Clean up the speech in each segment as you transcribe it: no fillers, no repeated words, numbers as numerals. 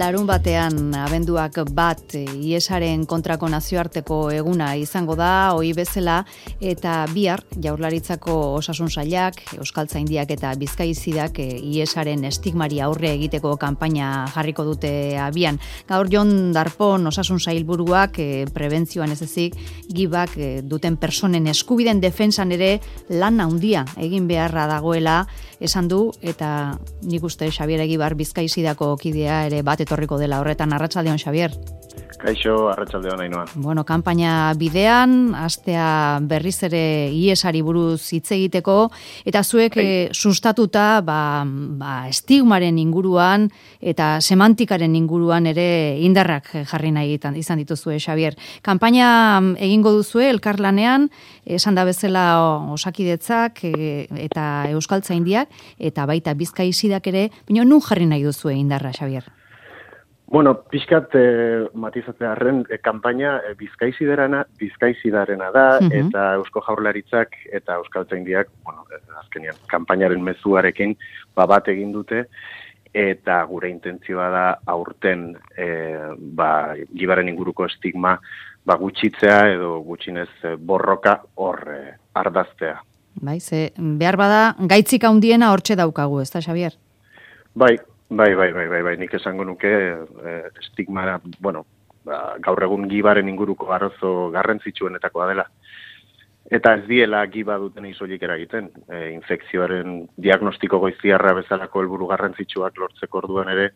Larun batean, abenduak bat, IESaren kontrako nazioarteko eguna izango da, ohi bezala, eta bihar, Jaurlaritzako Osasun Sailak, Euskaltzaindiak eta Bizkaizidak IESaren estigmari aurre egiteko kanpaina jarriko dute abian. Gaur Jon Darpon Osasun Sailburuak prebentzioan ez ezik, gibak duten personen eskubiden defentsan ere lan handia egin beharra dagoela esan du, eta nik uste Xabier Egibar Bizkaizidako kidea ere bat etorriko dela horretan. Arratsaldeon, Xabier. Kaixo, arratsaldeon, Ainhoa. Bueno, kanpaina bidean, astea berriz ere IESari buruz hitz egiteko, eta zuek sustatuta estigmaren inguruan eta semantikaren inguruan ere indarrak jarri nahi izan dituzue, Xabier. Kanpaina egingo duzue elkarlanean, esan da bezala Osakidetzak eta Euskaltzaindiak, eta baita Bizkaizidak ere, baina nun jarri nahi duzue indarra, Xabier? Bueno, pixkat matizatzearren kanpaina Bizkaizidarena da, eta Eusko Jaurlaritzak eta Euskaltzaindiak, azkenean, kanpainaren mezuarekin bat egin dute, eta gure intentzioa da aurten gibaren inguruko estigma gutxitzea edo gutxinez borroka hor ardaztea. Bai, behar bada gaitzik handiena hortxe daukagu, ezta, Xabier? Bai, nik esango nuke estigmara, gaur egun gibaren inguruko arazo garrantzitsuenetakoa dela. Eta ez diela giba duten isoilik eragiten. Infekzioaren diagnostiko goiztiarra bezalako helburu garrantzitsuak lortzeko orduan ere,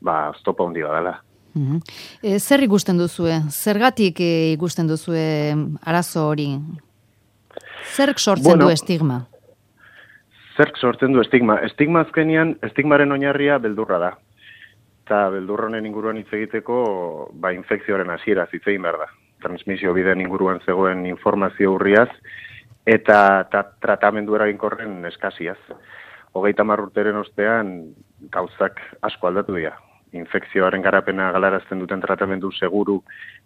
oztopo handi dela. Zer ikusten duzue? Zergatik ikusten duzue arazo hori? Zerk sortzen du estigma? Zerk sortzen du estigma? Estigma azkenean, estigmaren oinarria beldurra da. Eta beldurra honen inguruan hitz egiteko, infekzioaren hasiera hitz egin behar da. Transmisio bideen inguruan zegoen informazio urriaz, eta tratamendu eraginkorren eskasiaz. 30 urteren ostean gauzak asko aldatu dira. Infekzioaren garapena galarazten duten tratamendu seguru,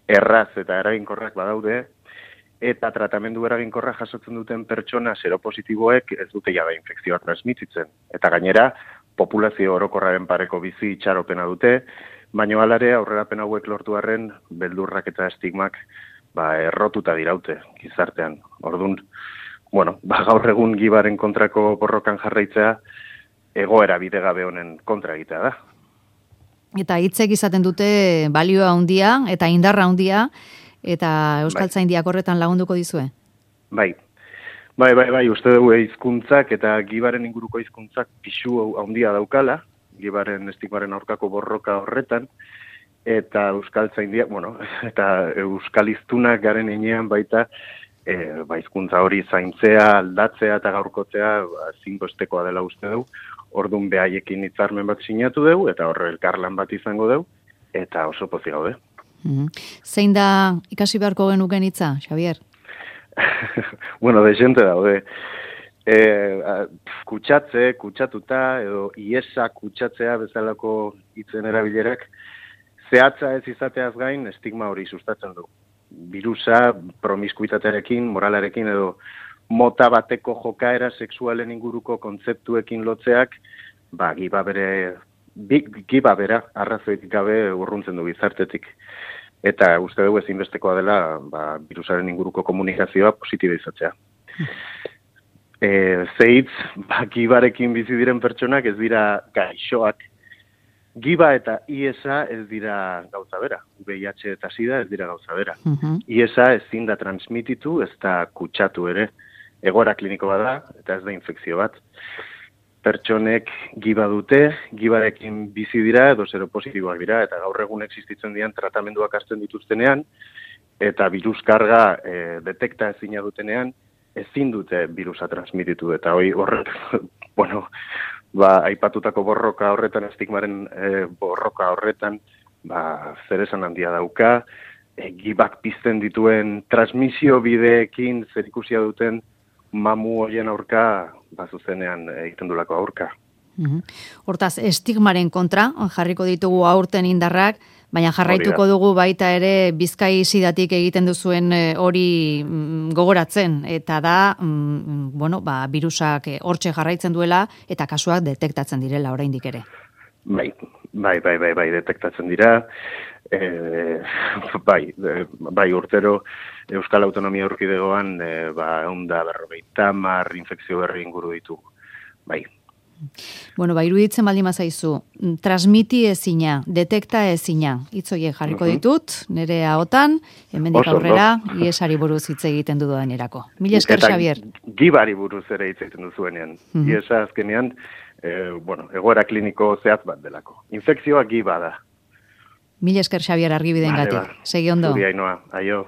erraz eta eraginkorrak badaude, eta tratamendu eraginkorra jasotzen duten pertsona seropositiboek ez dute jada infekzioa transmititzen. Eta gainera, populazio orokorraren pareko bizi itxaropena dute, baina alare aurrerapen hauek lortu arren beldurrak eta estigmak errotuta diraute gizartean. Orduan, gaur egun gibaren kontrako borrokan jarraitzea egoera bidegabe honen kontra egitea da. Eta hitzek izaten dute balioa handia eta indarra handia, eta Euskaltzaindiak horretan lagunduko dizue? Bai, uste dugu hizkuntzak eta gibaren inguruko hizkuntzak pisu handia daukala, gibaren estigmaren aurkako borroka horretan, eta Euskaltzaindiak, eta euskaliztunak garen enean baita, hizkuntza hori zaintzea, aldatzea eta gaurkotzea ezinbestekoa dela uste dugu, orduan behaiekin hitzarmen bat sinatu dugu, eta horre elkarlan bat izango dugu, eta oso pozik gaude. Zein da ikasi beharko genuken hitza, Xabier? Dezente daude. Kutsatuta, edo IESa kutsatzea bezalako hitzen erabilerak, zehatza ez izateaz gain estigma hori sustatzen du. Birusa, promiskuitatearekin, moralarekin, edo mota bateko jokaera sexualen inguruko kontzeptuekin lotzeak, giba bera arrazoitik gabe urruntzen du gizartetik. Eta uste dugu ezinbestekoa dela birusaren inguruko komunikazioa positiba izatzea. Zeitz, gibarekin bizi diren pertsonak ez dira gaixoak. Giba eta IESa ez dira gauza bera. VIH eta SIDA ez dira gauza bera. IESa ezin da transmititu, ez da kutsatu ere. Egoera klinikoa da, eta ez da infekzio bat. Pertsonek giba dute, gibarekin bizi dira edo seropositiboak dira, eta gaur egun existitzen dian tratamenduak hartzen dituztenean, eta biruskarga detekta ezina dutenean, ezin dute birusa transmititu, eta horrek, aipatutako borroka horretan, estigmaren borroka horretan, zer esan handia dauka, gibak pizten dituen transmisio bideekin zerikusia duten mamu hoien aurka, zuzenean egiten dulako aurka. Hortaz, estigmaren kontra, jarriko ditugu aurten indarrak, baina jarraituko dugu baita ere Bizkai sidatik egiten duzuen hori gogoratzen, eta da, birusak hortxe jarraitzen duela, eta kasuak detektatzen direla oraindik ere. Bai, detektatzen dira. Bai, urtero Euskal Autonomia Erkidegoan 150 infekzio berri inguru ditugu. Bai. Iruditzen baldin bazaizu, transmiti ezina, detekta ezina, hitz horiek jarriko ditut, nire ahotan, hemendik aurrera, iesari buruz hitz egiten dudanerako. Mila esker, Xabier. Gibari buruz ere hitz egiten duzuenean. Iesa azkenean, egoera kliniko zehatz bat delako. Infekzioa giba da. Mila esker, Xabier, argibidengatik. Segi ondo. Zuri, Ainhoa, aio.